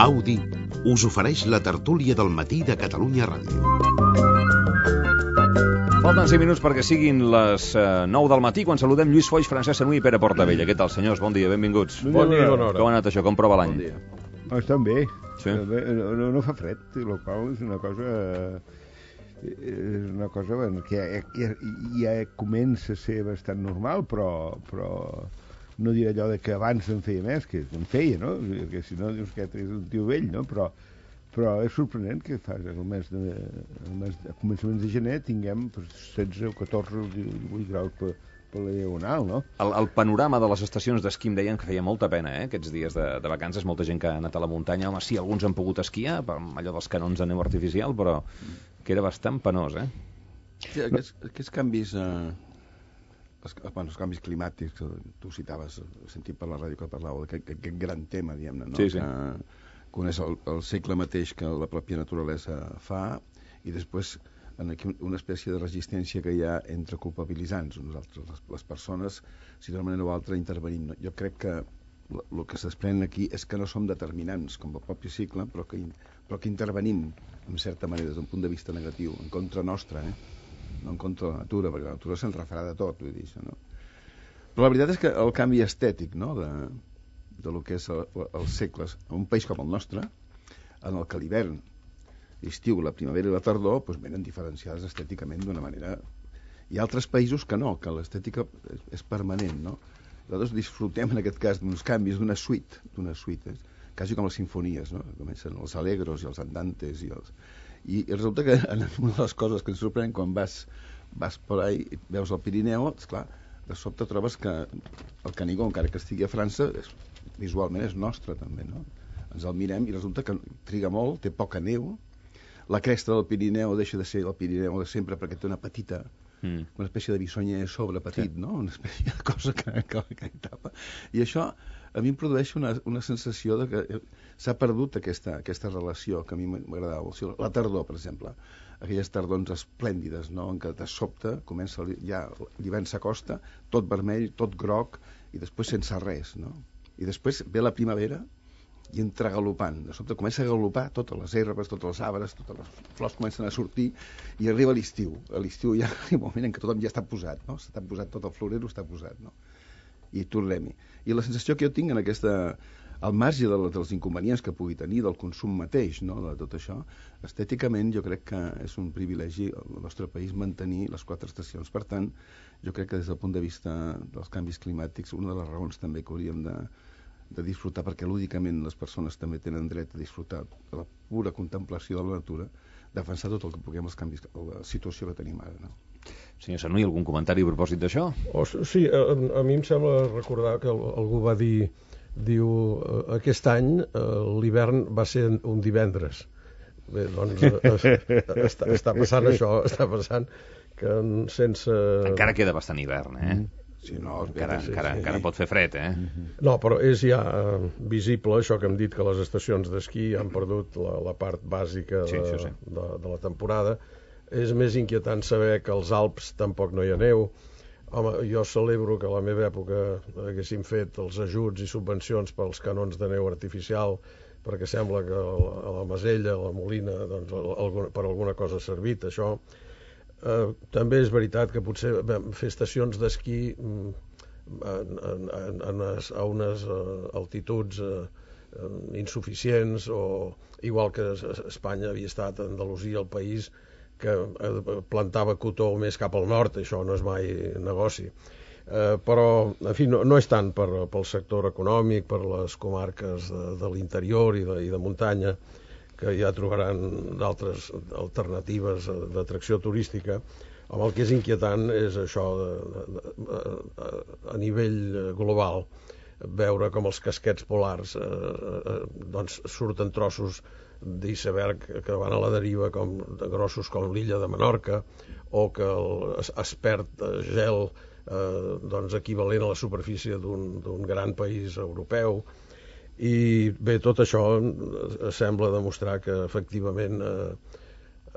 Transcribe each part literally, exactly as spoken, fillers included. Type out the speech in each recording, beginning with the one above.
Audi us ofereix la tertúlia del matí de Catalunya Ràdio. Falten cinc minuts perquè siguin les uh, nou del matí, quan saludem Lluís Foix, Francesc Sanui i Pere Portavella. Què tal, senyors? Bon dia, benvinguts. Bon dia, bona hora. Com ha anat això? Com prova l'any? Bon dia. Oh, estan bé. Sí? No, no fa fred, el qual és una cosa... És una cosa bueno, que ja, ja, ja comença a ser bastant normal, però, però no diré allò de que abans en feia més, que en feia, no? Perquè si no dius que és un tio vell, no? Però, però és sorprenent que fa el mes de, el mes de, a començaments de gener tinguem setze o catorze o divuit graus per, per la diagonal, no? El, el panorama de les estacions d'esquí em deien que feia molta pena, eh? Aquests dies de, de vacances, molta gent que ha anat a la muntanya. Home, sí, alguns han pogut esquiar, per allò dels canons de neu artificial, però que era bastant penós, eh? Sí, aquests, aquests canvis, eh, els, bueno, els canvis climàtics, tu citaves, he sentit per la ràdio que parlàveu d'aquest aquest gran tema, diguem-ne, no? Sí, sí. Que coneix el, el segle mateix que la pròpia naturalesa fa, i després en aquí una espècie de resistència que hi ha entre culpabilitzants, nosaltres, les, les persones, si d'una manera o altra intervenim. No? Jo crec que el que s'esprèn aquí és que no som determinants, com el propi cicle, però que, però que intervenim, en certa manera, des d'un punt de vista negatiu, en contra nostra, eh? No en contra de la natura, perquè la natura se'n refarà de tot, vull dir això, no? Però la veritat és que el canvi estètic, no?, de, de lo que és el, els segles, en un país com el nostre, en el que l'hivern, l'estiu, la primavera i la tardor, doncs venen diferenciades estèticament d'una manera... Hi ha altres països que no, que l'estètica és, és permanent, no? Nosaltres disfrutem, en aquest cas, d'uns canvis, d'una suite, d'una suite, eh? Quasi com les sinfonies, no? Comencen els alegros i els andantes i els... I, i resulta que una de les coses que ens sorprèn quan vas, vas per ahí i veus el Pirineu, esclar, de sobte trobes que el Canigó, encara que estigui a França, és, visualment és nostre també, no? Ens el mirem i resulta que triga molt, té poca neu, la cresta del Pirineu deixa de ser el Pirineu de sempre perquè té una petita... Mm. Una espècie de bisonyer a sobre petit, sí. No? Una espècie de cosa que, que, que tapa. I això a mi em produeix una, una sensació de que s'ha perdut aquesta, aquesta relació que a mi m'agradava. O sigui, la tardor, per exemple, aquelles tardors esplèndides, no? En què de sobte comença ja l'hivern s'acosta, tot vermell, tot groc, i després sense res, no? I després ve la primavera i entra galopant. De sobte comença a galopar totes les herbes, totes les arbres, totes les flors comencen a sortir i arriba l'estiu. A l'estiu ja hi ha un moment en què tothom ja està posat, no? Està posat, tot el florero està posat, no? I tornem-hi. I la sensació que jo tinc en aquesta... al marge de, dels inconvenients que pugui tenir, del consum mateix, no? De tot això, estèticament jo crec que és un privilegi al nostre país mantenir les quatre estacions. Per tant, jo crec que des del punt de vista dels canvis climàtics, una de les raons també que hauríem de de disfrutar, perquè lúdicament les persones també tenen dret a disfrutar de la pura contemplació de la natura, defensar tot el que puguem els canvis, la situació que tenim ara, no? Senyor Sanui, algun comentari a propòsit d'això? Oh, sí, a, a mi em sembla recordar que algú va dir, diu, aquest any l'hivern va ser un divendres. Bé, doncs està, està passant això, està passant que sense... Encara queda bastant hivern, eh? Mm. Sí, no, encara, sí, encara, sí. encara pot fer fred, eh? No, però és ja uh, visible això que hem dit, que les estacions d'esquí han perdut la, la part bàsica de, sí, sí, sí. De, de la temporada. És més inquietant saber que als Alps tampoc no hi ha neu. Home, jo celebro que a la meva època haguéssim fet els ajuts i subvencions pels canons de neu artificial, perquè sembla que a la Masella, a la Molina, doncs, alguna, per alguna cosa ha servit, això. Uh, també és veritat que potser fer estacions d'esquí en, en, en, en unes, a unes uh, altituds uh, insuficients, o igual que Espanya havia estat, Andalusia, el país que uh, plantava cotó més cap al nord, això no és mai negoci. Uh, però, en fi, no, no és tant per, pel sector econòmic, per les comarques de, de l'interior i de, i de muntanya, que ja trobaran d'altres alternatives d'atracció turística. Home, el que és inquietant és això de, de, de, a nivell global, veure com els casquets polars eh, eh, doncs surten trossos d'iceberg que van a la deriva, com de grossos com l'illa de Menorca, o que el, es, es perd gel eh, doncs equivalent a la superfície d'un d'un gran país europeu. I bé, tot això sembla demostrar que efectivament eh,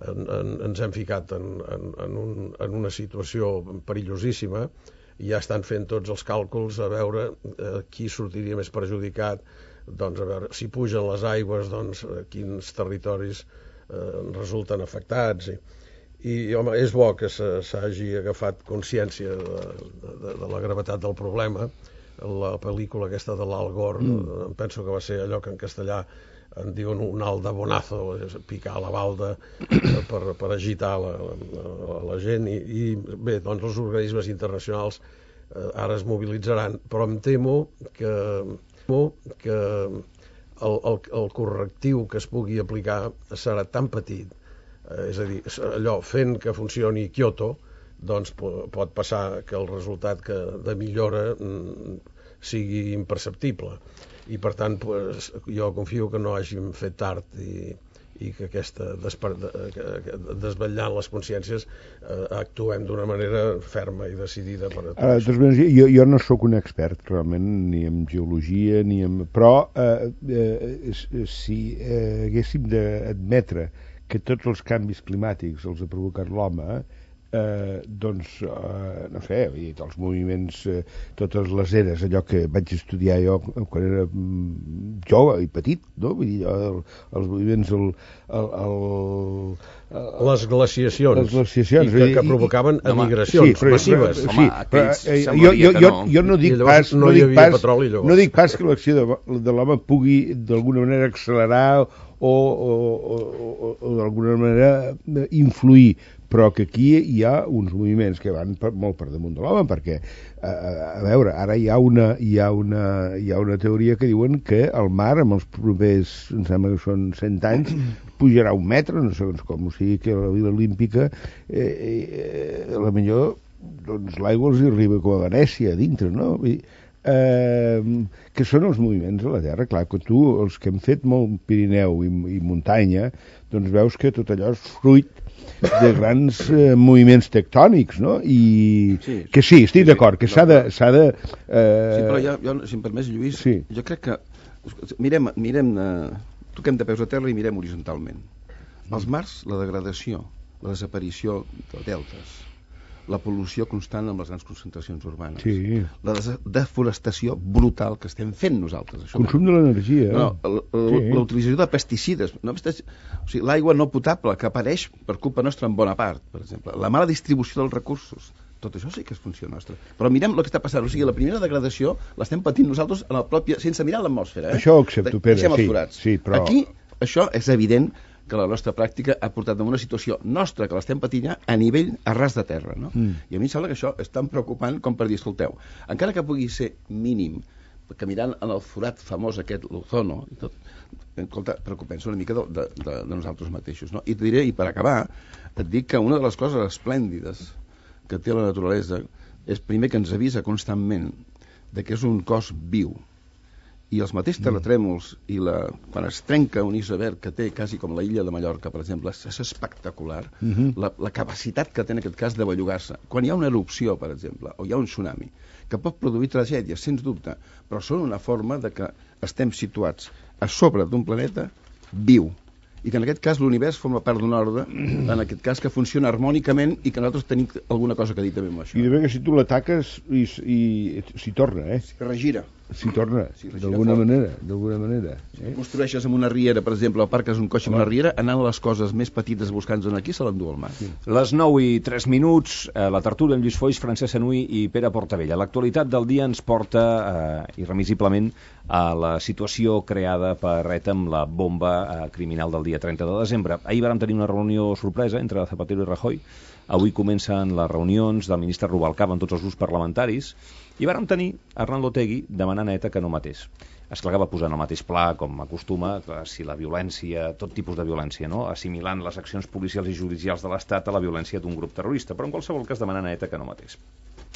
en, en, ens hem ficat en, en, en, un, en una situació perillosíssima, i ja estan fent tots els càlculs a veure eh, qui sortiria més perjudicat doncs a veure, si pugen les aigües, doncs quins territoris eh, resulten afectats. I, i home, és bo que s'hagi agafat consciència de, de, de la gravetat del problema. La pel·lícula aquesta de l'Al Gore, mm. em penso que va ser allò que en castellà en diuen un aldabonazo, picar la balda per, per agitar la, la, la gent, i, i bé, doncs els organismes internacionals eh, ara es mobilitzaran, però em temo que, que el, el, el correctiu que es pugui aplicar serà tan petit, eh, és a dir, allò fent que funcioni Kyoto, doncs pot passar que el resultat que de millora mm, sigui imperceptible, i per tant pues, jo confio que no hàgim fet tard i, i que aquesta desvetllant les consciències eh, actuem d'una manera ferma i decidida per a tot. Ara, doncs, jo, jo no sóc un expert realment ni en geologia ni en... però eh, eh, si eh, haguéssim d'admetre que tots els canvis climàtics els ha provocat l'home, Eh, doncs, eh, no sé, els moviments, eh, totes les eres, allò que vaig estudiar jo quan era mm, jove i petit, no? Vull dir, el, els moviments, el, el, el, el, les glaciacions, les glaciacions i que, que provocaven no, emigracions sí, però, massives. Però, sí, home, però, eh, jo, jo, jo, jo no dic pas, no, no, dic pas, no dic pas que l'acció de, de l'home pugui d'alguna manera accelerar o, o, o, o, o d'alguna manera influir, però que aquí hi ha uns moviments que van per, molt per damunt de l'home, perquè a, a veure, ara hi ha, una, hi, ha una, hi ha una teoria que diuen que el mar amb els propers, em sembla que són cent anys, pujarà un metre, no sé com, o sigui que la Vila Olímpica eh, eh, a la millor doncs l'aigua els arriba com a Venècia a dintre, no? Vull dir, eh, que són els moviments de la Terra. Clar, que tu, els que hem fet molt Pirineu i, i muntanya, doncs veus que tot allò és fruit de grans eh, moviments tectònics, no? I sí, que sí, estic sí, d'acord, que s'ha de... S'ha de eh... Sí, però ja, jo, si em permets, Lluís, sí. jo crec que... Mirem, mirem eh, toquem de peus a terra i mirem horitzontalment. Els mars, la degradació, la desaparició de deltes, la pol·lució constant amb les grans concentracions urbanes, sí. la deforestació brutal que estem fent nosaltres. Això consum de l'energia. No, sí. La utilització de pesticides, no, o sigui, l'aigua no potable que apareix per culpa nostra en bona part, per exemple, la mala distribució dels recursos, tot això sí que és funció nostra. Però mirem el que està passant, o sigui, la primera degradació l'estem patint nosaltres en el propi, sense mirar l'atmosfera. Eh? Això ho accepto, Pere, Deixem els sí, forats. Sí, però... Aquí, això és evident que la nostra pràctica ha portat a una situació nostra que l'estem patint ja a nivell a ras de terra, no? Mm. I a mi em sembla que això és tan preocupant com per dir, escolteu, encara que pugui ser mínim, que mirant en el forat famós aquest, l'ozono, i tot, escolta, preocupem-se una mica de, de, de, de nosaltres mateixos, no? I et diré, i per acabar, et dic que una de les coses esplèndides que té la naturalesa és, primer, que ens avisa constantment de que és un cos viu, i els mateixos terratrèmols i la, quan es trenca un iceberg que té quasi com la illa de Mallorca, per exemple, és espectacular. Uh-huh. la, la capacitat que té en aquest cas de bellugar-se. Quan hi ha una erupció, per exemple, o hi ha un tsunami, que pot produir tragèdies, sens dubte, però són una forma de que estem situats a sobre d'un planeta viu, i que en aquest cas l'univers forma part d'un ordre, en aquest cas que funciona harmònicament i que nosaltres tenim alguna cosa que dir també amb això. I de bé que si tu l'ataques i, i s'hi torna, eh? S'hi regira. S'hi torna, sí, d'alguna manera, d'alguna manera. Eh? Construeixes amb una riera, per exemple, o parques un cotxe amb una riera, anant a les coses més petites buscant-en aquí, se l'endú al mar. Sí. Les nou i tres minuts, eh, la tertúlia amb Lluís Foix, Francesc Sanui i Pere Portavella. L'actualitat del dia ens porta, eh, irremisiblement, a la situació creada per ETA amb la bomba eh, criminal del dia trenta de desembre. Ahir vàrem tenir una reunió sorpresa entre Zapatero i Rajoy. Avui comencen les reunions del ministre Rubalcaba amb tots els grups parlamentaris, i vàrem tenir Arnaldo Otegi demanant a ETA que no matés. Esclar que va posar en el mateix pla, com acostuma, si la violència, tot tipus de violència, no? Assimilant les accions policials i judicials de l'Estat a la violència d'un grup terrorista, però en qualsevol cas demanant a ETA que no matés.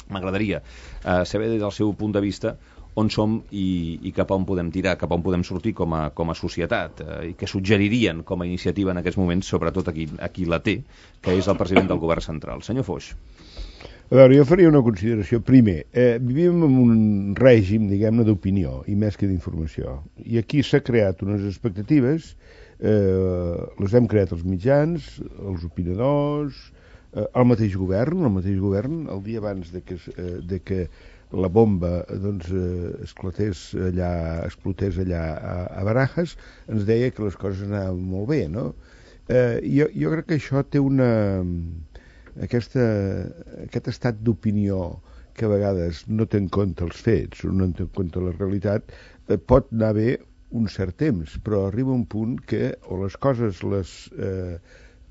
M'agradaria eh, saber des del seu punt de vista on som i, i cap a on podem tirar, cap a on podem sortir com a, com a societat, eh, i què suggeririen com a iniciativa en aquests moments, sobretot aquí, aquí la té, que és el president del govern central. Senyor Foix. A veure, jo faria una consideració. Primer, eh, vivim en un règim, diguem-ne, d'opinió, i més que d'informació. I aquí s'ha creat unes expectatives, eh, les hem creat els mitjans, els opinadors, eh, el mateix govern, el mateix govern, el dia abans de que, eh, de que la bomba doncs, eh, esclatés allà, explotés allà a, a Barajas, ens deia que les coses anaven molt bé, no? Eh, jo, jo crec que això té una... Aquesta, aquest estat d'opinió que a vegades no té en compte els fets, no té en compte la realitat, eh, pot anar bé un cert temps, però arriba un punt que o les coses les eh,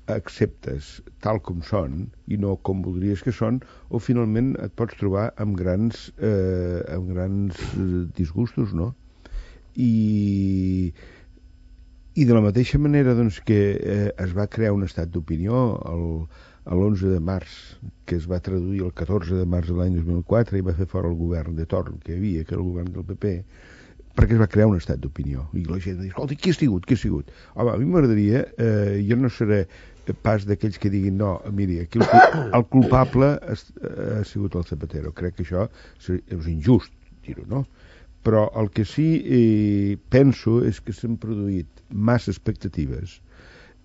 acceptes tal com són i no com voldries que són, o finalment et pots trobar amb grans, eh, amb grans disgustos, no? I, i de la mateixa manera doncs, que eh, es va crear un estat d'opinió l'onze de març, que es va traduir el catorze de març de l'any dos mil quatre i va fer fora el govern de torn que hi havia, que era el govern del P P, perquè es va crear un estat d'opinió. I la gent diu, escolta, qui ha sigut, qui ha sigut? Home, a mi m'agradaria, eh, jo no seré pas d'aquells que diguin, no, miri, aquí el, el culpable ha, ha sigut el Zapatero. Crec que això és injust dir-ho, no? Però el que sí eh, penso és que s'han produït massa expectatives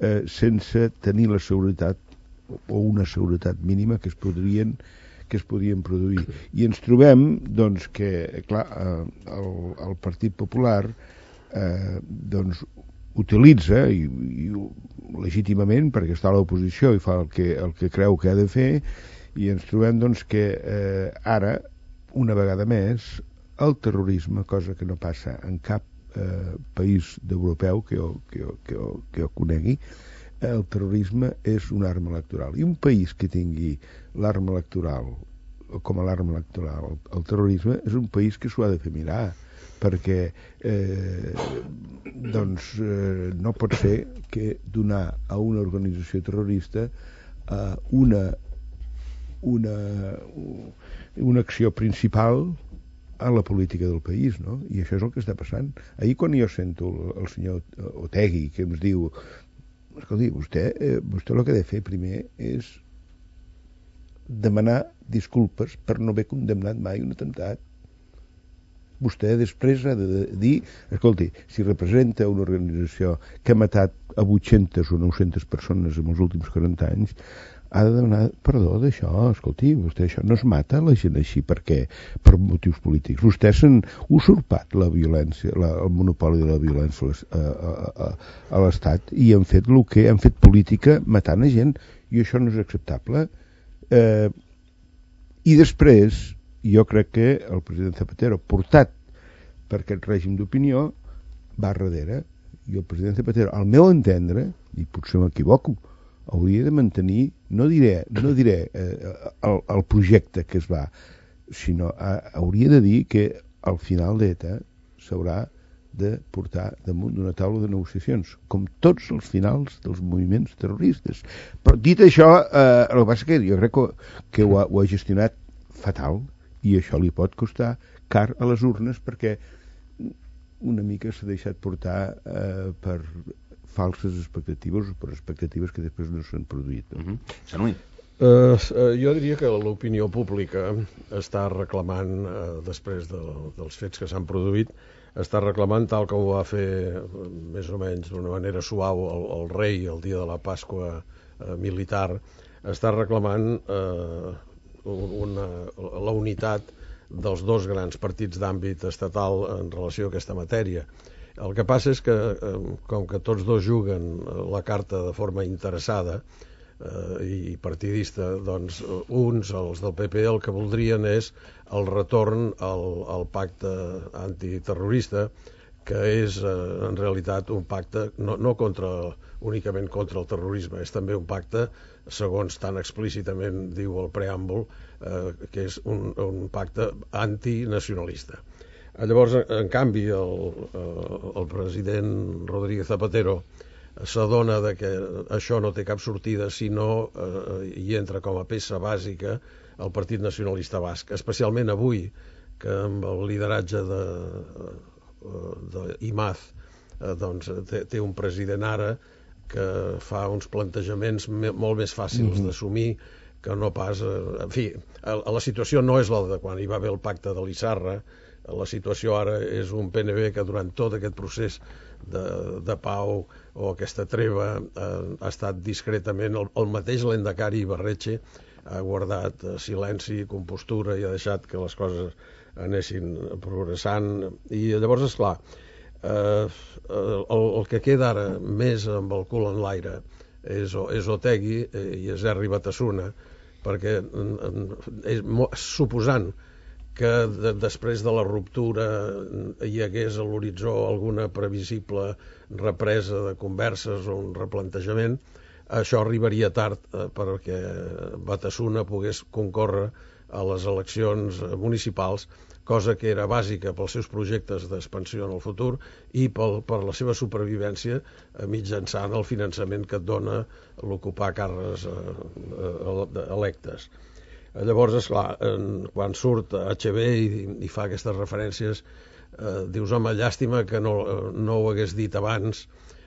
eh, sense tenir la seguretat o una seguretat mínima que es podrien que es podien produir. I ens trobem, doncs, que, clar, el, el Partit Popular eh, doncs, utilitza, i, i legítimament, perquè està a l'oposició i fa el que, el que creu que ha de fer, i ens trobem, doncs, que eh, ara, una vegada més, el terrorisme, cosa que no passa en cap eh, país d'europeu que jo, que, jo, que, jo, que jo conegui, el terrorisme és una arma electoral. I un país que tingui l'arma electoral com a l'arma electoral, el terrorisme, és un país que s'ho ha de fer mirar, perquè eh, doncs eh, no pot ser que donar a una organització terrorista eh, una, una, una acció principal a la política del país, no? I això és el que està passant. Ahir quan jo sento el, el senyor Otegi que ens diu, escolti, vostè, eh, vostè el que ha de fer primer és demanar disculpes per no haver condemnat mai un atemptat. Vostè després ha de dir, escolti, si representa una organització que ha matat a vuit-centes o nou-centes persones en els últims quaranta anys, ha de demanar perdó d'això. Escolti, vostè això no es mata la gent així perquè per motius polítics. Vostès han usurpat la violència, la, el monopoli de la violència a, a, a, a l'Estat i han fet el que han fet política matant a gent, i això no és acceptable. Eh, i després jo crec que el president Zapatero, portat per aquest règim d'opinió, va darrere, i el president Zapatero, al meu entendre, i potser m'equivoco, hauria de mantenir, no diré, no diré eh, el, el projecte que es va, sinó a, hauria de dir que al final d'ETA s'haurà de portar damunt d'una taula de negociacions, com tots els finals dels moviments terroristes. Però dit això, eh, el que passa que jo crec que, que ho, ha, ho ha gestionat fatal, i això li pot costar car a les urnes, perquè una mica s'ha deixat portar eh, per falses expectatives o per expectatives que després no s'han produït. Uh-huh. Sanui. Uh, uh, jo diria que l'opinió pública està reclamant, uh, després de, dels fets que s'han produït, està reclamant, tal com ho va fer més o menys d'una manera suau el, el rei el dia de la Pasqua uh, militar, està reclamant uh, una, la unitat dels dos grans partits d'àmbit estatal en relació a aquesta matèria. El que passa és que, com que tots dos juguen la carta de forma interessada eh, i partidista, doncs uns, els del P P, el que voldrien és el retorn al, al pacte antiterrorista, que és eh, en realitat un pacte no, no contra, únicament contra el terrorisme, és també un pacte, segons tan explícitament diu el preàmbul, eh, que és un, un pacte antinacionalista. Llavors, en canvi, el, el president Rodríguez Zapatero s'adona de que això no té cap sortida si no eh, hi entra com a peça bàsica el Partit Nacionalista Basc, especialment avui, que amb el lideratge de, de Imaz eh, doncs, té, té un president ara que fa uns plantejaments me, molt més fàcils mm-hmm. d'assumir que no pas... Eh, en fi, la situació no és la de quan hi va haver el pacte de l'Issarra, La situació ara és un P N B que durant tot aquest procés de, de pau o aquesta treva eh, ha estat discretament el, el mateix Lendakari Ibarretxe ha guardat silenci, compostura i ha deixat que les coses anessin progressant. I llavors, esclar, eh, el, el que queda ara més amb el cul en l'aire és, és Otegi i és Herri Batasuna, perquè és, suposant que de, després de la ruptura hi hagués a l'horitzó alguna previsible represa de converses o un replantejament, això arribaria tard eh, perquè Batasuna pogués concórrer a les eleccions municipals, cosa que era bàsica pels seus projectes d'expansió en el futur i pel, per la seva supervivència eh, mitjançant el finançament que et dona l'ocupar càrrecs eh, eh, electes. Llavors, esclar, quan surt H B i, i fa aquestes referències, eh, dius, home, llàstima que no, no ho hagués dit abans,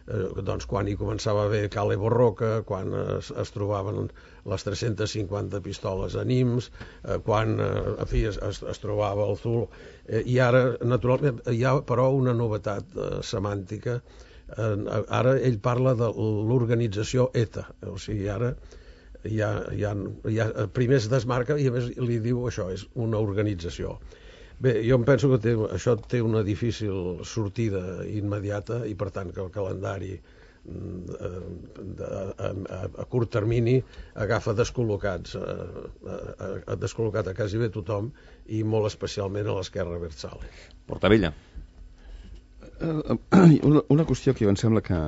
eh, doncs quan hi començava a haver Cale Borroca, quan es, es trobaven les tres-centes cinquanta pistoles a Nims, eh, quan, eh, en fi, es, es, es trobava el Zul. Eh, I ara, naturalment, hi ha però una novetat eh, semàntica. Eh, ara ell parla de l'organització ETA, o sigui, ara Ja, ja, ja, primer es desmarca i a més li diu això, és una organització. Bé, jo em penso que té, això té una difícil sortida immediata i per tant que el calendari a, a, a, a curt termini agafa descol·locats a, a, a descol·locat a quasi bé tothom i molt especialment a l'esquerra abertzale. Portavella. Una, una qüestió que em sembla que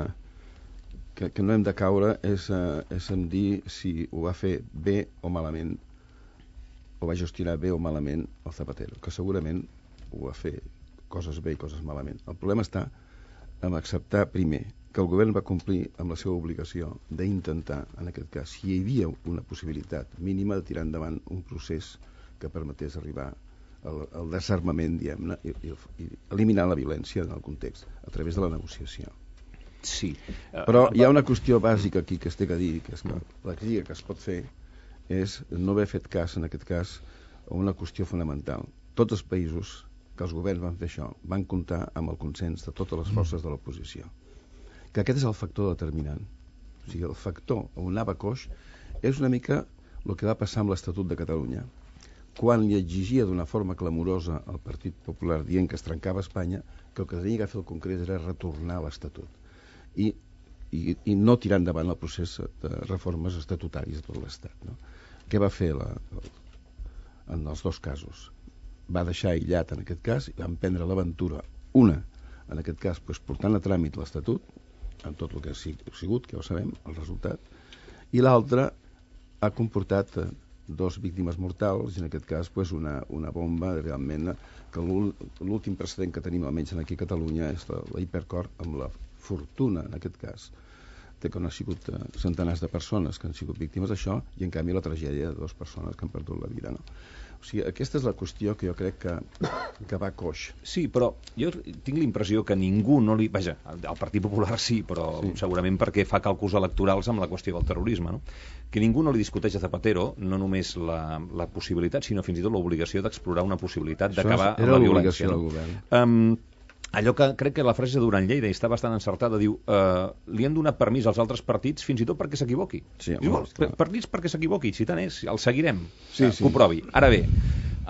Que, que no hem de caure és, uh, és en dir si ho va fer bé o malament, o va gestionar bé o malament el Zapatero, que segurament ho va fer coses bé i coses malament. El problema està en acceptar, primer, que el govern va complir amb la seva obligació d'intentar, en aquest cas, si hi havia una possibilitat mínima de tirar endavant un procés que permetés arribar al, al desarmament, diguem-ne, i, i, i eliminar la violència en el context, a través de la negociació. Sí. Però hi ha una qüestió bàsica aquí que es té que dir, que és que la crítica que es pot fer és no haver fet cas, en aquest cas, a una qüestió fonamental. Tots els països que els governs van fer això van comptar amb el consens de totes les forces de l'oposició. Que aquest és el factor determinant. O sigui, el factor on anava coix és una mica el que va passar amb l'Estatut de Catalunya. Quan li exigia d'una forma clamorosa al Partit Popular dient que es trencava Espanya, que el que tenia que fer el Congrés era retornar a l'Estatut. I, i, i no tirar endavant el procés de reformes estatutàries de tot l'Estat. No? Què va fer la, en els dos casos? Va deixar aïllat en aquest cas i van prendre l'aventura, una, en aquest cas, doncs, portant a tràmit l'Estatut, amb tot el que ha sigut, que ja ho sabem, el resultat, i l'altra ha comportat dos víctimes mortals, i en aquest cas doncs, una, una bomba, realment, que l'últim precedent que tenim, almenys aquí a Catalunya, és la, la Hipercor, amb la fortuna, en aquest cas, de que no ha sigut uh, centenars de persones que han sigut víctimes d'això, i en canvi la tragèdia de dues persones que han perdut la vida. No? O sigui, aquesta és la qüestió que jo crec que, que va coix. Sí, però jo tinc la impressió que ningú no li... Vaja, el Partit Popular sí, però sí. Segurament perquè fa càlculs electorals amb la qüestió del terrorisme, no? Que ningú no li discuteix a Zapatero no només la, la possibilitat, sinó fins i tot l'obligació d'explorar una possibilitat d'acabar amb la violència. Era l'obligació del govern. Um, Allò que crec que la frase de Duran Lleida està bastant encertada, diu, eh, li han donat permís als altres partits fins i tot perquè s'equivoqui. Sí, diu, per, permís perquè s'equivoqui, si tant és, el seguirem, sí, eh, sí. que ho provi. Ara bé,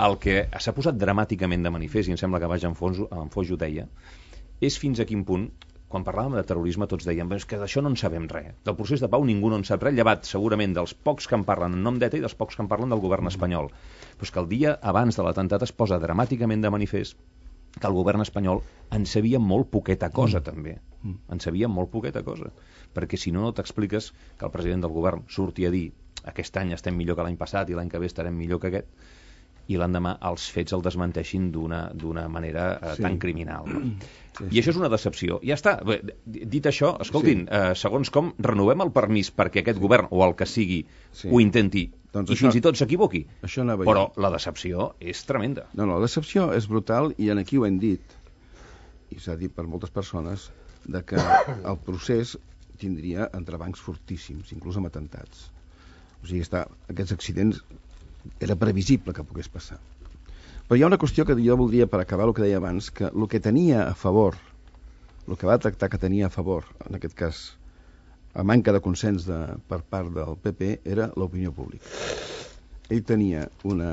el que s'ha posat dramàticament de manifest, i em sembla que Baix en Foix ho deia, és fins a quin punt, quan parlàvem de terrorisme tots dèiem és que d'això no en sabem res, del procés de pau ningú no en sap res, llevat segurament dels pocs que en parlen en nom d'ETA i dels pocs que en parlen del govern espanyol. Però és que el dia abans de l'atemptat es posa dramàticament de manifest que el govern espanyol en sabia molt poqueta cosa, mm. també. Mm. En sabia molt poqueta cosa. Perquè si no, no t'expliques que el president del govern surti a dir aquest any estem millor que l'any passat i l'any que ve estarem millor que aquest, i l'endemà els fets el desmenteixin d'una d'una manera eh, sí. tan criminal. No? Sí, sí. I això és una decepció. Ja està. Bé, dit això, escoltin, sí. eh, segons com, renovem el permís perquè aquest sí. govern, o el que sigui, sí. ho intenti, doncs i això, fins i tot s'equivoqui. Però jo. La decepció és tremenda. No, no, la decepció és brutal i en aquí ho hem dit, i s'ha dit per moltes persones, de que el procés tindria entrebancs fortíssims, inclús amb atemptats. O sigui, està, aquests accidents era previsible que pogués passar. Però hi ha una qüestió que jo voldria, per acabar el que deia abans, que el que tenia a favor, el que va tractar que tenia a favor, en aquest cas, a manca de consens de, per part del P P, era l'opinió pública. Ell tenia una,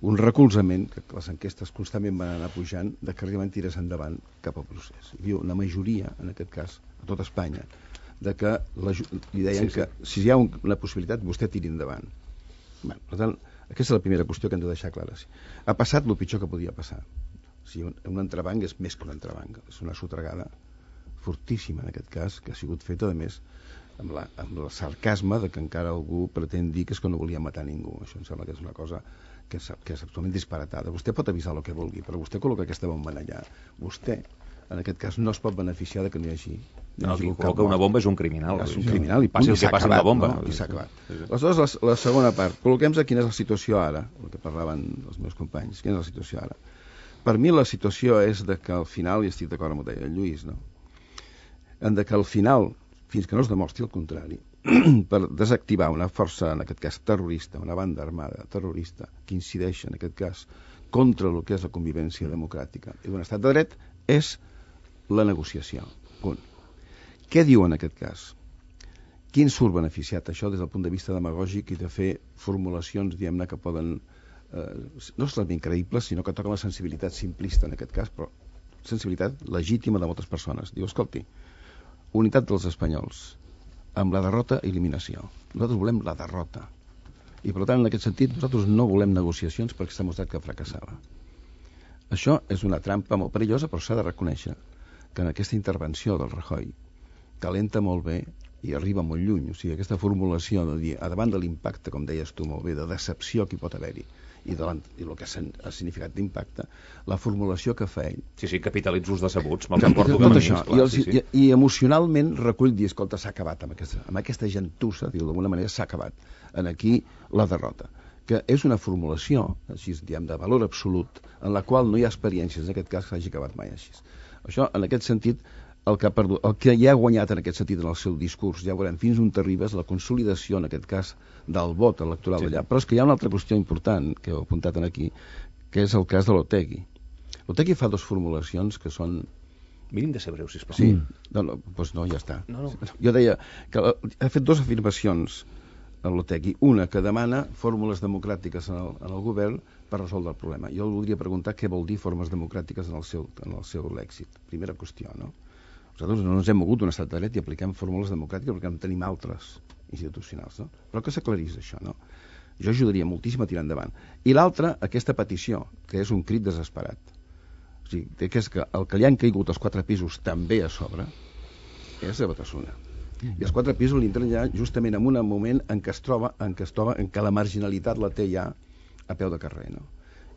un recolzament, que les enquestes constantment van anar pujant, de que realment tirés endavant cap al procés. Hi havia una majoria, en aquest cas, a tot Espanya, de que la, li deien sí, sí. que si hi ha un, una possibilitat, vostè tiri endavant. Bé, per tant, aquesta és la primera qüestió que hem de deixar clara. Sí. Ha passat el pitjor que podia passar. O sigui, un, un entrebanc és més que un entrebanc. És una sotregada fortíssima, en aquest cas, que ha sigut feta, a més, amb, la, amb el sarcasme de que encara algú pretén dir que és que no volia matar ningú. Això em sembla que és una cosa que és, que és absolutament disparatada. Vostè pot avisar el que vulgui, però vostè col·loca aquesta bomba allà. Vostè, en aquest cas, no es pot beneficiar de que no hi hagi... No, qui col·loca una bomba és un criminal. És un criminal i passi el que passi amb la bomba. No? I s'ha acabat. Aleshores, la, la segona part. Col·loquem-nos quina és la situació ara, el que parlaven els meus companys. Quina és la situació ara? Per mi la situació és de que al final, i estic d'acord amb el que deia el Lluís, no? En de que al final, fins que no es demostri el contrari, per desactivar una força, en aquest cas terrorista, una banda armada terrorista, que incideix, en aquest cas, contra el que és la convivència democràtica i d'un estat de dret, és la negociació. Punt. Què diu en aquest cas? Quin surt beneficiat això des del punt de vista demagògic i de fer formulacions, diguem-ne, que poden eh, no solament creïbles, sinó que toquen la sensibilitat simplista en aquest cas, però sensibilitat legítima de moltes persones. Diu, escolti, unitat dels espanyols, amb la derrota, eliminació. Nosaltres volem la derrota. I, per tant, en aquest sentit, nosaltres no volem negociacions perquè s'ha mostrat que fracassava. Això és una trampa molt perillosa, però s'ha de reconèixer que en aquesta intervenció del Rajoy calenta molt bé i arriba molt lluny. O sigui, aquesta formulació de dir, a davant de l'impacte, com deies tu molt bé, de decepció que hi pot haver-hi, i, de i el que ha significat d'impacte, la formulació que fa ell... Sí, sí, capitalitzo els decebuts, me'ls emporto cap a mi. I, els, sí, sí. I, I emocionalment recull dir, escolta, s'ha acabat amb aquesta, amb aquesta gentussa, diu, d'alguna manera s'ha acabat. En aquí la derrota. Que és una formulació, així diem, de valor absolut, en la qual no hi ha experiències, en aquest cas, que hagi acabat mai així. Això, en aquest sentit, el que, ha perdut, el que ja ha guanyat en aquest sentit en el seu discurs, ja veurem fins on t'arribes, la consolidació, en aquest cas, del vot electoral sí. allà. Però és que hi ha una altra qüestió important, que heu apuntat aquí, que és el cas de l'Otegi. L'Otegi fa dues formulacions que són... Mínim de ser breu, sisplau. Sí, no, no, doncs no, ja està. No, no. Jo deia que ha fet dues afirmacions a l'Otegi. Una, que demana fórmules democràtiques en el, en el govern per resoldre el problema. Jo voldria preguntar què vol dir formes democràtiques en el seu, en el seu lèxic. Primera qüestió, no? Nosaltres no ens hem mogut d'un estat de dret i apliquem fórmules democràtiques perquè en tenim altres institucionals, no? Però que s'aclarís això, no? Jo ajudaria moltíssim a tirar endavant. I l'altra, aquesta petició, que és un crit desesperat. O sigui, que és que el que li han caigut els quatre pisos també a sobre és de Batasuna. I els quatre pisos li entren ja justament en un moment en què es troba, en què es troba, en què la marginalitat la té ja a peu de carrer, no?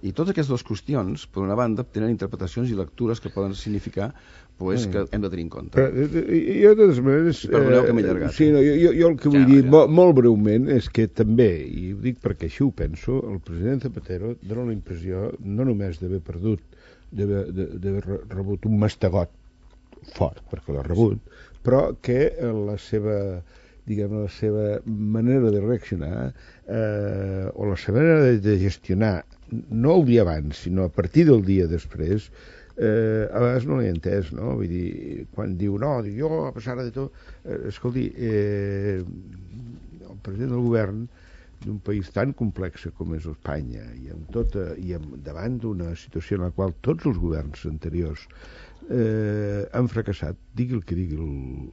I totes aquestes dues qüestions, per una banda, tenen interpretacions i lectures que poden significar pues, que hem de tenir en compte. Però, jo, de totes maneres... I perdoneu que m'he allargat. Sí, no, jo, jo el que vull ja, dir, ja. Molt, molt breument, és que també, i ho dic perquè així ho penso, el president Zapatero dona la impressió no només d'haver perdut, d'haver rebut un mastegot fort, perquè l'ha rebut, però que la seva... diguem, la seva manera de reaccionar eh, o la seva manera de gestionar, no el dia abans, sinó a partir del dia després, eh, a vegades no l'he entès, no? Vull dir, quan diu, no, diu, jo, a pesar de tot, eh, escolti, eh, el president del govern d'un país tan complex com és Espanya i, amb tota, i amb, davant d'una situació en la qual tots els governs anteriors eh, han fracassat, digui el que digui el,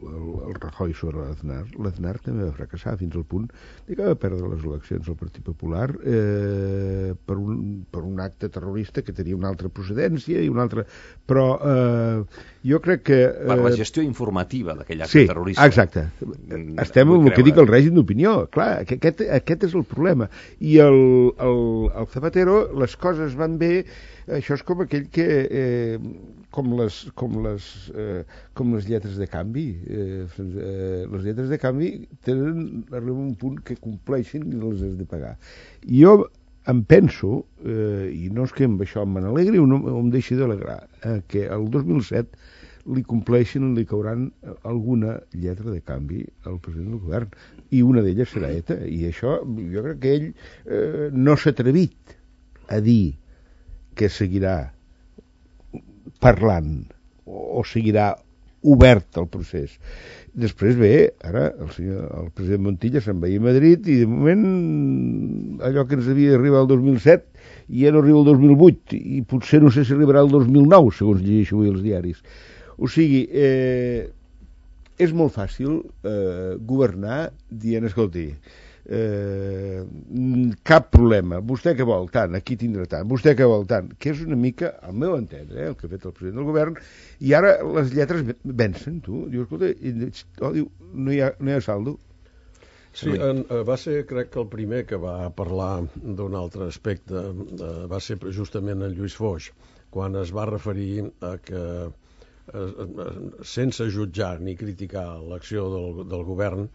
el, el Rajoy sobre l'Aznar, l'Aznar també va fracassar fins al punt de que va perdre les eleccions al Partit Popular eh, per, un, per un acte terrorista que tenia una altra procedència i una altra... Però eh, jo crec que... Eh, per la gestió informativa d'aquell acte sí, terrorista. Exacte. Estem amb el que dic el règim d'opinió. Clar, aquest, aquest és el problema. I el, el, el Zapatero, les coses van bé, això és com aquell que... Eh, com les, com les, eh, com les lletres de canvi. Eh, eh, les lletres de canvi tenen, arriben a un punt que compleixen i les has de pagar. Jo em penso, eh, i no és que amb això me n'alegri o no em deixi d'alegrar, eh, que el dos mil set li compleixen, li cauran alguna lletra de canvi al president del govern, i una d'elles serà ETA, i això jo crec que ell eh, no s'ha atrevit a dir que seguirà parlant o, o seguirà obert el procés. Després ve, ara, el, senyor, el president Montilla se'n va a Madrid i de moment allò que ens havia d'arribar el dos mil set ja no arriba el dos mil vuit i potser no sé si arribarà el dos mil nou, segons llegeixo avui els diaris. O sigui, eh, és molt fàcil eh, governar dient, escolti, Eh, cap problema, vostè què vol tant, aquí tindrà tant, vostè què vol tant, que és una mica, al meu entendre, eh, el que ha fet el president del govern, i ara les lletres vencen, tu, diu, escolta, i, oh, diu, no hi ha, no hi ha saldo. Sí, en, va ser, crec que el primer que va parlar d'un altre aspecte eh, va ser justament en Lluís Foix, quan es va referir a que eh, sense jutjar ni criticar l'acció del, del govern,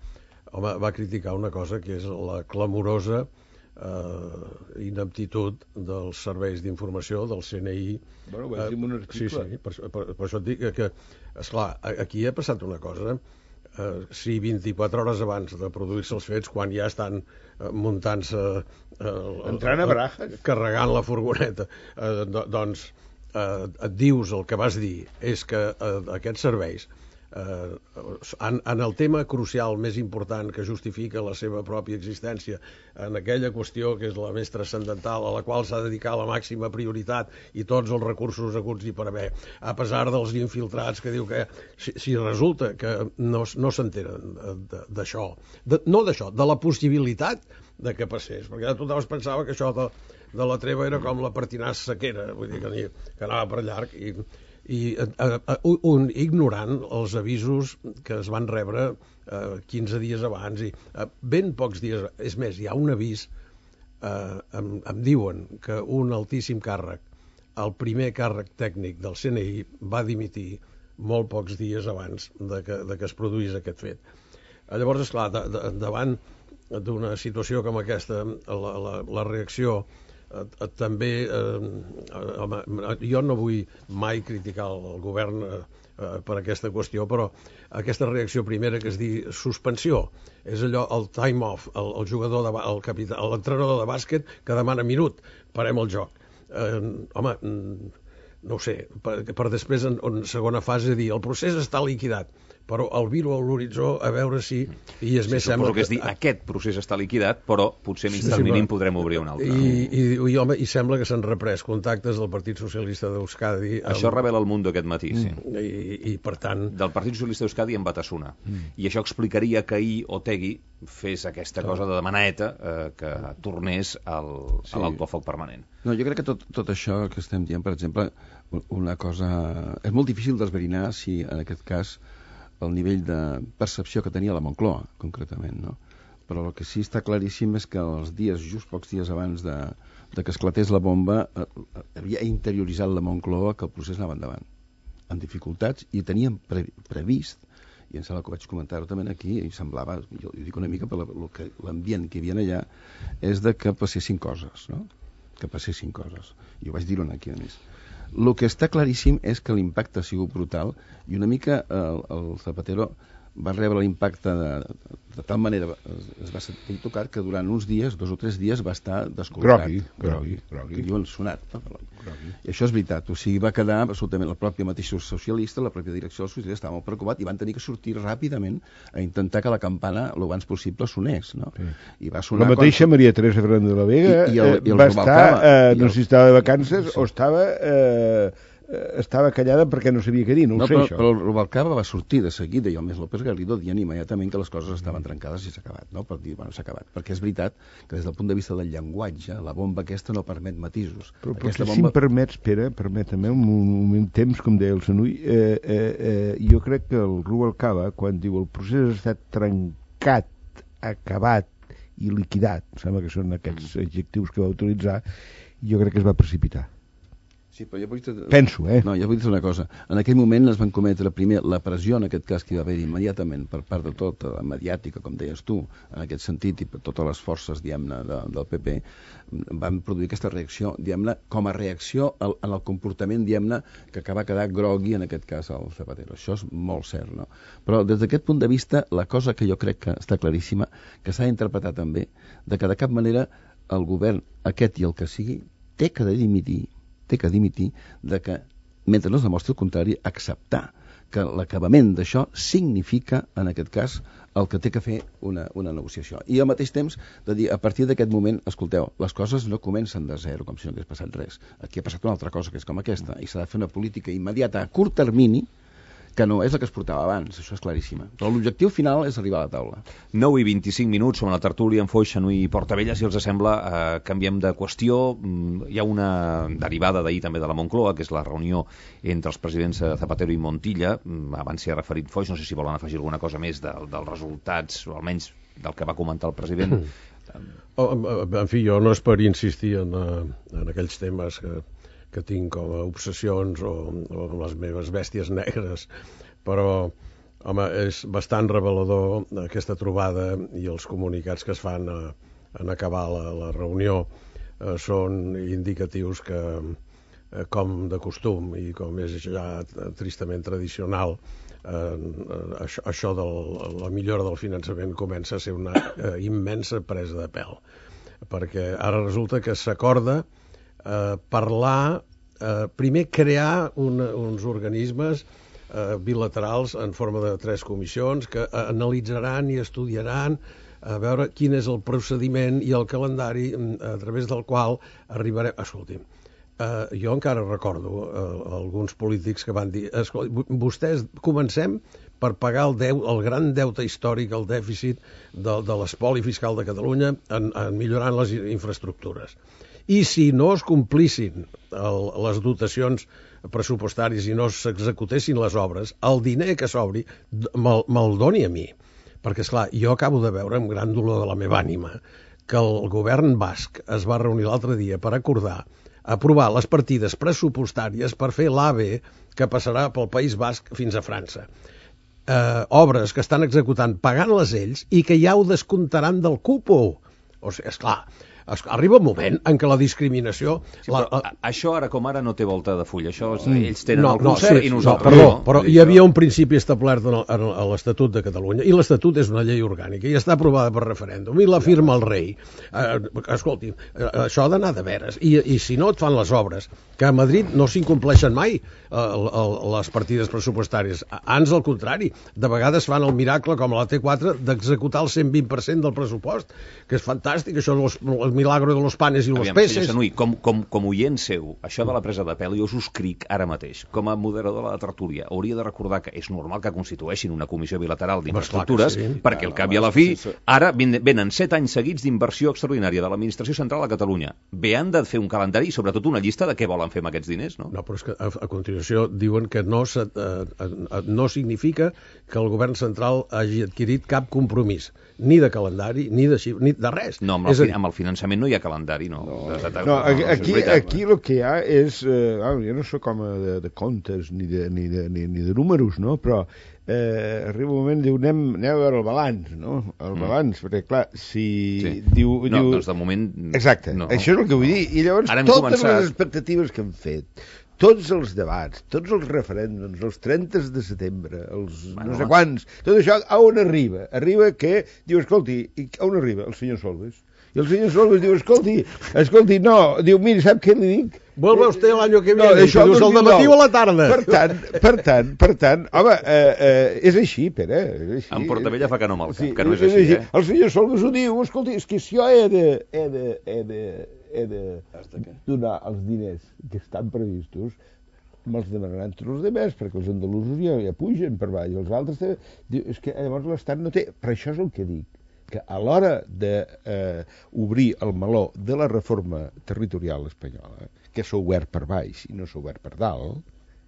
home, va criticar una cosa que és la clamorosa eh, ineptitud dels serveis d'informació, del C N I. Bueno, ho vaig dir en un article. Sí, sí, per, per, per això et dic que, esclar, aquí ha passat una cosa, eh, si vint-i-quatre hores abans de produir-se els fets, quan ja estan eh, muntant-se... Eh, entrant a barajes. Carregant la furgoneta, eh, do, doncs eh, et dius el que vas dir, és que eh, aquests serveis Uh, en, en el tema crucial més important que justifica la seva pròpia existència, en aquella qüestió que és la més transcendental, a la qual s'ha de dedicar la màxima prioritat i tots els recursos haguts i per haver, a pesar dels infiltrats que diu que si, si resulta que no, no s'enteren d'això, de, no d'això, de la possibilitat de que passés, perquè tothom es pensava que això de, de la treva era com la pertinàs sequera, vull dir que, que anava per llarg i i uh, uh, un, ignorant els avisos que es van rebre uh, quinze dies abans i uh, ben pocs dies, és més, hi ha un avís uh, em, em diuen que un altíssim càrrec, el primer càrrec tècnic del C N I va dimitir molt pocs dies abans de que, de que es produís aquest fet. Llavors, esclar, de, de, davant d'una situació com aquesta, la, la, la reacció Eh, eh, també eh, home, jo no vull mai criticar el govern eh, eh, per aquesta qüestió, però aquesta reacció primera que es diu suspensió és allò, el time off, el, el jugador de, el capità, l'entrenador de bàsquet que demana minut, parem el joc. eh, home no ho sé, per, per després en, en segona fase dir el procés està liquidat, però el viro a l'horitzó a veure si... I és sí, més sembla que... que és dir, aquest procés està liquidat, però potser mig sí, del mínim podrem obrir un altre. I, i, i, home, i sembla que s'han reprès contactes del Partit Socialista d'Euskadi... Això amb... revela el Mundo aquest matí, sí. I, i per tant... Del Partit Socialista d'Euskadi en Batasuna. Mm. I això explicaria que ahir Otegi fes aquesta cosa de demaneta eh, que tornés al, sí. a l'alto foc permanent. No, jo crec que tot, tot això que estem dient, per exemple, una cosa... És molt difícil d'esverinar si, en aquest cas, el nivell de percepció que tenia la Moncloa, concretament, no? Però el que sí està claríssim és que els dies, just pocs dies abans de, de que esclatés la bomba, eh, havia interioritzat la Moncloa que el procés anava endavant, amb dificultats, i teníem pre, previst, i em sembla que vaig comentar-ho també aquí, i semblava, jo ho dic una mica per l'ambient que hi havia allà, és de que passessin coses, no? Que passessin coses. I ho vaig dir-ho aquí, a més. El que està claríssim és que l'impacte ha sigut brutal i una mica el, el Zapatero va rebre l'impacte de, de tal manera es, es va sentir tocat que durant uns dies, dos o tres dies va estar descol·locat. Grogui, grogui, grogui. Que diuen sonat. No? Grogui. I això és veritat. O sigui, va quedar absolutament la pròpia mateixa socialista, la pròpia direcció del socialista estava molt preocupat i van tenir que sortir ràpidament a intentar que la campana el abans possible sonés. No? Sí. I va sonar la mateixa quan... Maria Teresa Fernández de la Vega I, i el, i el va estar, eh, no sé si estava de vacances sí. o estava... Eh, estava callada perquè no sabia què dir, no, no ho sé però, això. Però el Rubalcaba va sortir de seguida i el més López Garrido dient immediatament que les coses estaven trencades i s'ha acabat, no? Per dir, bueno, s'ha acabat, perquè és veritat que des del punt de vista del llenguatge la bomba aquesta no permet matisos. Però potser bomba... si em permets, Pere, permet-me un, un, un temps, com deia el Sanui, eh, eh, eh, jo crec que el Rubalcaba, quan diu el procés ha estat trencat, acabat i liquidat, em sembla que són aquests adjectius que va utilitzar, jo crec que es va precipitar. Sí, però jo vull dir... Penso, eh? No, jo vull dir una cosa. En aquell moment es van cometre primer la pressió, en aquest cas, que hi va haver immediatament per part de tota la mediàtica, com deies tu, en aquest sentit, i per totes les forces, diguem-ne, de, del P P, van produir aquesta reacció, diguem-ne, com a reacció al, en el comportament, diguem-ne, que va quedar grogui, en aquest cas, al Zapatero. Això és molt cert, no? Però des d'aquest punt de vista, la cosa que jo crec que està claríssima, que s'ha d'interpretar també, de que de cap manera el govern, aquest i el que sigui, té que dimitir, té que dimitir de que, mentre no es demostri el contrari, acceptar que l'acabament d'això significa, en aquest cas, el que té que fer una, una negociació. I al mateix temps, de dir, a partir d'aquest moment, escolteu, les coses no comencen de zero, com si no hagués passat res. Aquí ha passat una altra cosa, que és com aquesta, i s'ha de fer una política immediata a curt termini, que no és la que es portava abans, això és claríssima. Però l'objectiu final és arribar a la taula. nou i vint-i-cinc minuts sobre la tertúlia amb Foix, Xanui i Portabella, si els sembla, eh, canviem de qüestió. Hi ha una derivada d'ahir també de la Moncloa, que és la reunió entre els presidents Zapatero i Montilla. Abans s'hi ha referit Foix, no sé si volen afegir alguna cosa més de, dels resultats, o almenys del que va comentar el president. Oh, en fi, jo no és per insistir en, en aquells temes que que tinc com a obsessions o, o les meves bèsties negres, però home, és bastant revelador aquesta trobada i els comunicats que es fan a, en acabar la, la reunió eh, són indicatius que, eh, com de costum i com és ja tristament tradicional, eh, això, això de la millora del finançament comença a ser una eh, immensa presa de pèl, perquè ara resulta que s'acorda Eh, parlar, eh, primer crear una, uns organismes eh, bilaterals en forma de tres comissions que eh, analitzaran i estudiaran a veure quin és el procediment i el calendari a través del qual arribarem... Escolti'm, eh, jo encara recordo eh, alguns polítics que van dir vostès comencem per pagar el, deu, el gran deute històric, el dèficit de, de l'espoli fiscal de Catalunya en, en millorant les infraestructures. I si no es complissin el, les dotacions pressupostàries i no s'executessin les obres, el diner que s'obri me'l, me'l doni a mi. Perquè, esclar, jo acabo de veure amb gran dolor de la meva ànima que el govern basc es va reunir l'altre dia per acordar aprovar les partides pressupostàries per fer l'A V E que passarà pel País Basc fins a França. Eh, obres que estan executant pagant-les ells i que ja ho descomptaran del cupo. O sigui, esclar, arriba un moment en què la discriminació... Sí, la, la... Això ara com ara no té volta de full, això és, ells tenen no, el concert no, sí, i nosaltres no. Perdó, no. Però hi havia un principi establert en, el, en l'Estatut de Catalunya, i l'Estatut és una llei orgànica i està aprovada per referèndum, i la firma el rei. Eh, escolti, eh, això ha d'anar de veres, I, i si no et fan les obres, que a Madrid no s'incompleixen mai eh, el, el, les partides pressupostàries, ans al contrari, de vegades fan el miracle, com a la T quatre, d'executar el cent vint per cent del pressupost, que és fantàstic, això és el milagro de los panes i los Aviam, peces. Senyor Xanui, com, com, com oient seu, això de la presa de pèl, jo us ho escric ara mateix. Com a moderador de la tertúlia, hauria de recordar que és normal que constitueixin una comissió bilateral d'infraestructures, sí. perquè al cap i a la fi, ara venen set anys seguits d'inversió extraordinària de l'administració central a Catalunya. Bé, han de fer un calendari i sobretot una llista de què volen fer amb aquests diners, no? No, però és que a, a continuació diuen que no, se, eh, no significa que el govern central hagi adquirit cap compromís, ni de calendari, ni de xifra, ni de res. No, amb el, fi, amb el finançament no hi ha calendari, no. No, de, de, de, no, no, aquí, no aquí, aquí el que hi ha és... Eh, jo no soc home de, de comptes ni de, ni, de, ni, ni de números, no? Però eh, arriba un moment, diu, anem, anem a veure el balanç, no? El mm. balanç, perquè clar, si... Sí. Diu, no, diu... doncs de moment... Exacte, no. això és el que vull dir. I llavors totes començat... les expectatives que hem fet, tots els debats, tots els referèndums, els trenta de setembre, els bueno, no sé quants, tot això, a on arriba? Arriba que, diu, escolti, a on arriba? El senyor Solbes. I el senyor Solbes diu, escolti, escolti, no, diu, miri, sap què li dic? Vuelve usted el año que viene, no, això dius, el dematí o a la tarda. Per tant, per tant, per tant, home, eh, eh, és així, Pere, és així. En Portabella fa que no amb el cap, sí, que no és, és així, així, eh? El senyor Solbes ho diu, escolti, és que si jo he de, he de, he de, he de donar els diners que estan previstos, me'ls demanaran tots els demés, perquè els andalusos ja, ja pugen per baix, els altres també... Diu, és que llavors l'Estat no té... Per això és el que dic, que a l'hora d'obrir eh, el meló de la reforma territorial espanyola, que s'ha obert per baix i no s'ha obert per dalt,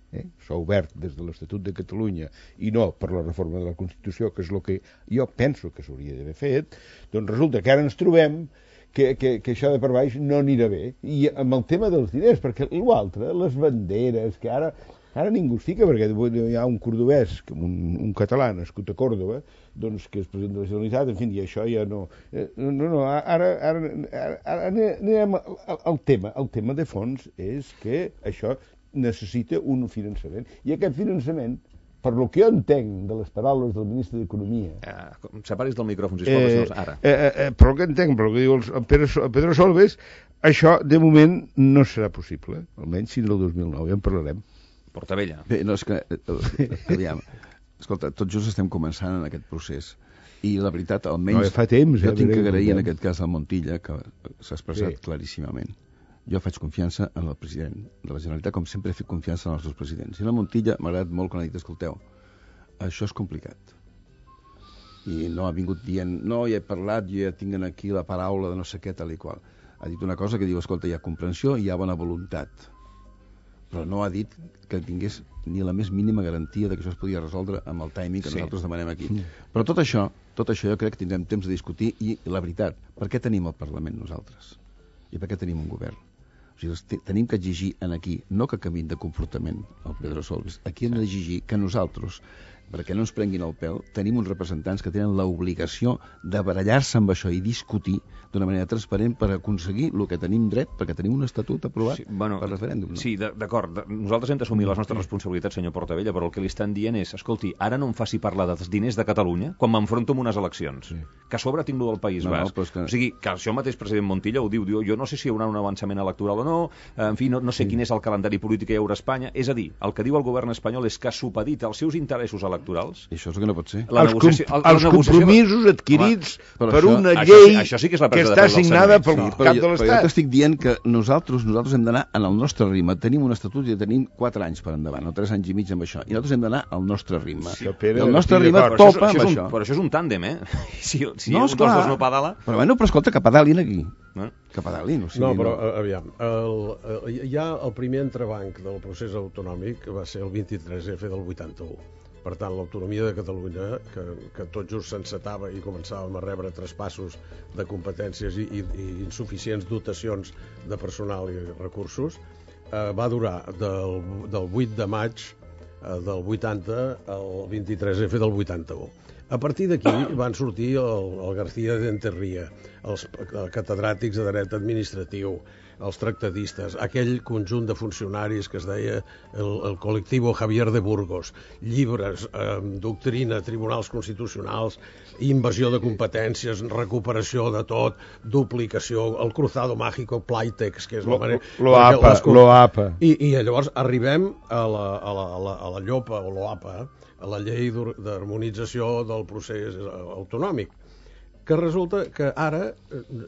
eh, s'ha obert des de l'Estatut de Catalunya i no per la reforma de la Constitució, que és el que jo penso que s'hauria d'haver fet, doncs resulta que ara ens trobem Que, que, que això de per baix no anirà bé. I amb el tema dels diners, perquè l'altre, les banderes, que ara, ara ningú es fica, perquè hi ha un cordobès, un, un català nascut a Còrdova, doncs, que és president de la Generalitat, en fi, i això ja no... No, no, ara, ara, ara anem al tema. El tema de fons és que això necessita un finançament. I aquest finançament per lo que jo entenc de les paraules del ministre d'Economia... Eh, separis del micròfon, sisplau, eh, senyors, ara. Eh, eh, per lo que entenc, per lo que diu el, el, Pedro, el Pedro Solbes, això, de moment, no serà possible, almenys fins al dos mil nou, ja en parlarem. Portavella. Bé, no, és que... Eh, aviam, escolta, tots just estem començant en aquest procés. I la veritat, almenys... No, fa temps, jo eh, tinc que veurem, agrair en veurem. aquest cas al Montilla, que s'ha expressat Sí. claríssimament. Jo faig confiança en el president de la Generalitat, com sempre he fet confiança en els dos presidents. I la Montilla m'ha agradat molt quan ha dit, escolteu, això és complicat. I no ha vingut dient, no, ja he parlat, jo ja tinc aquí la paraula de no sé què, tal i qual. Ha dit una cosa que diu, escolta, hi ha comprensió i hi ha bona voluntat. Però no ha dit que tingués ni la més mínima garantia de que això es podia resoldre amb el timing que Sí. nosaltres demanem aquí. Però tot això, tot això jo crec que tindrem temps de discutir i la veritat, per què tenim el Parlament nosaltres? I per què tenim un govern? O sigui, tenim que exigir en aquí, no que canviïn de comportament el Pedro Solbes, aquí hem d'exigir que nosaltres, perquè no ens prenguin el pèl, tenim uns representants que tenen l'obligació de barallar-se amb això i discutir d'una manera transparent per aconseguir el que tenim dret, perquè tenim un estatut aprovat Sí, bueno, per referèndum. No? Sí, d'acord. Nosaltres hem d'assumir les nostres responsabilitats, senyor Portavella, però el que li estan dient és, escolti, ara no em faci parlar dels diners de Catalunya quan m'enfronto amb unes eleccions. Sí. Que a sobre tinc lo del País No, no, Basc. però és que- O sigui, que això mateix president Montilla ho diu, diu, jo no sé si hi haurà un avançament electoral o no, en fi, no, no sé sí. quin és el calendari polític que hi haurà a Espanya. És a dir, el que diu el govern espanyol és que supedita els seus interessos electorals. I això és el que no pot ser. La els negociació, com, la els negociació... compromisos adquirits Home, per això- una això llei sí- això sí que és la que presa de està pèl dels signada serveis. pel Sí, cap però, de jo, però jo l'Estat. t'estic dient que nosaltres nosaltres hem d'anar en el nostre ritme. Tenim un estatut i tenim quatre anys per endavant, o tres anys i mig amb això. I nosaltres hem d'anar al nostre ritme. Sí, I Pere, el nostre estic ritme d'acord. Però topa això, amb és això. un, però això és un tàndem, eh? Si, si No, un dels esclar. dos no pedala... Però, bueno, però escolta, que pedalin aquí. Eh? Que pedalin. O sigui, No, però eh, aviam, el, el, ja el primer entrebanc del procés autonòmic va ser el vint-i-tres efa del vuitanta-u. Per tant, l'autonomia de Catalunya, que, que tot just s'encetava i començàvem a rebre traspassos de competències i, i, i insuficients dotacions de personal i recursos, eh, va durar del, del vuit de maig eh, del vuitanta al vint-i-tres efa del vuitanta-u. A partir d'aquí van sortir el, el García de Enterria, els catedràtics de dret administratiu, els tractadistes, aquell conjunt de funcionaris que es deia el, el col·lectiu Javier de Burgos, llibres, eh, doctrina, tribunals constitucionals, invasió de competències, recuperació de tot, duplicació, el cruzado mágico, Playtex, que és la manera... L'OAPA, l'OAPA. I, I llavors arribem a la, a la, a la, a la llopa, o l'OAPA, a la llei d'harmonització del procés autonòmic, que resulta que ara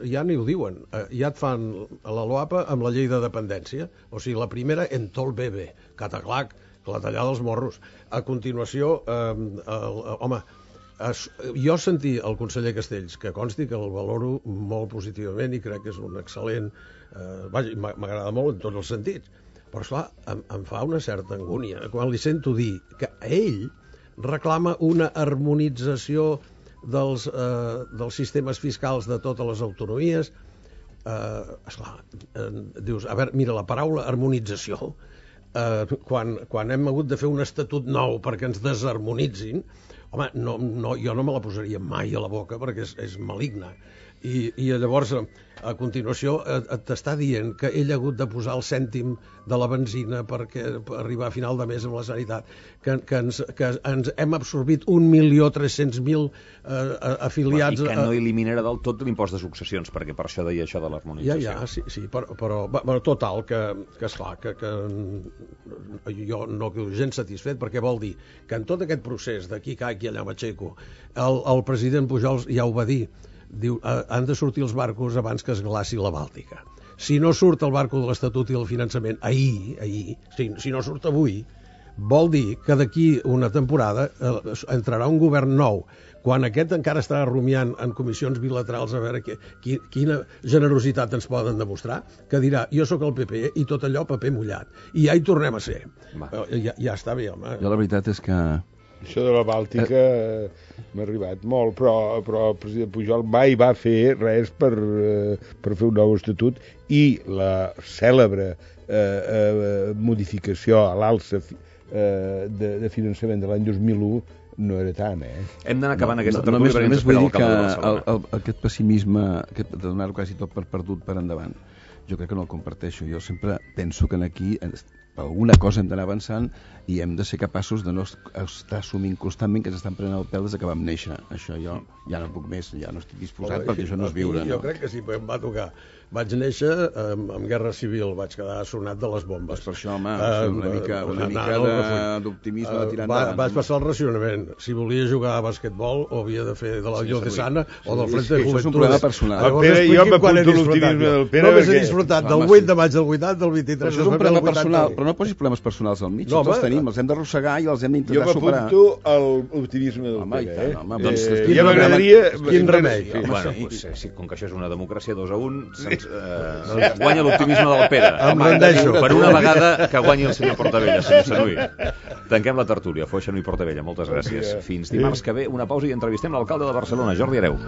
ja ni ho diuen, ja et fan la LOAPA amb la llei de dependència, o sigui, la primera en tot el bebè, cataclac, la tallada dels morros. A continuació, eh, el, home, es, jo sentí el conseller Castells, que consti que el valoro molt positivament i crec que és un excel·lent, eh, vaja, m'agrada molt en tots els sentits, però esclar, em, em fa una certa angúnia quan li sento dir que ell reclama una harmonització dels, eh, dels sistemes fiscals de totes les autonomies. Eh, esclar, eh, dius, a veure, mira, la paraula harmonització, eh, quan, quan hem hagut de fer un estatut nou perquè ens desharmonitzin, home, no, no, jo no me la posaria mai a la boca perquè és, és maligna. I, i llavors, a continuació, t'està dient que ell ha hagut de posar el cèntim de la benzina perquè, per arribar a final de mes amb la sanitat, que, que, ens, que ens hem absorbit un milió tres-cents mil eh, afiliats... I que no eliminarà del tot l'impost de successions, perquè per això deia això de l'harmonització. Ja, ja, sí, sí, però, però, però total, que, que esclar, que, que jo no quedo gens satisfet, perquè vol dir que en tot aquest procés d'aquí caic i allà m'aixeco, el, el president Pujol ja ho va dir, diu, han de sortir els barcos abans que es glaci la Bàltica. Si no surt el barco de l'Estatut i el finançament ahir, ahir si, si no surt avui, vol dir que d'aquí una temporada eh, entrarà un govern nou, quan aquest encara estarà rumiant en comissions bilaterals a veure que, qui, quina generositat ens poden demostrar, que dirà, jo sóc el P P i tot allò paper mullat. I ja hi tornem a ser. Ja, ja està bé, home. Jo la veritat és que... Això de la Bàltica eh, m'ha arribat molt, però, però el president Pujol mai va fer res per, eh, per fer un nou estatut i la cèlebre eh, eh, modificació a l'alça eh, de, de finançament de l'any dos mil u no era tant, eh? Hem d'anar acabant no, aquesta no, tertúlia només, perquè ens només vull espera dir que l'alcalde de el, Barcelona. el, aquest pessimisme, aquest, de donar-ho quasi tot per perdut per endavant, jo crec que no el comparteixo. Jo sempre penso que aquí alguna cosa hem d'anar avançant i hem de ser capaços de no estar assumint constantment que ens estan prenent el pèl des que vam néixer. Això jo ja no puc més, ja no estic disposat, Home, perquè això no és viure. Jo no? crec que sí, em va tocar. Vaig néixer amb, amb guerra civil, vaig quedar sonat de les bombes. Pues per això, home, uh, una mica, una mica d'optimisme de tirar uh, endavant. Vaig passar el racionament. Si volia jugar a basquetbol, o havia de fer de la Llió de Sana o del Frente de Juventud. Això és un problema personal. Llavors, Pere, jo m'apunto l'optimisme del Pere. Només he disfrutat del vuit de maig del vuitanta, del vint-i-tres de febrer del vuitanta. Però no posis problemes personals al mig, tots els tenim, els hem d'arrossegar i els hem d'intentar superar. Jo m'apunto l'optimisme del Pere. Doncs ja m'agradaria... Quin remei. Com que això és una democràcia dos a un, guanya l'optimisme del Pere. Em rendeixo. Per una vegada que guanyi el senyor Portavella, senyor Sanui. Tanquem la tertúlia. Fou Sanui Portavella. Moltes gràcies. Fins dimarts que ve, una pausa i entrevistem l'alcalde de Barcelona, Jordi Hereu.